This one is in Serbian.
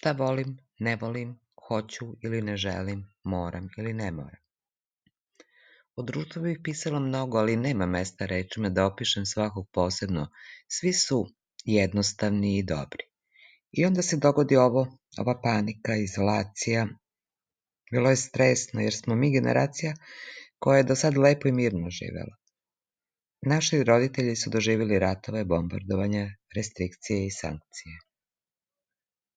Šta volim, ne volim, hoću ili ne želim, moram ili ne moram. O društvu bih pisala mnogo, ali nema mesta rečima da opišem svakog posebno. Svi su jednostavni i dobri. I onda se dogodi ova panika, izolacija. Bilo je stresno, jer smo mi generacija koja je do sad lepo i mirno živela. Naši roditelji su doživjeli ratove, bombardovanja, restrikcije i sankcije.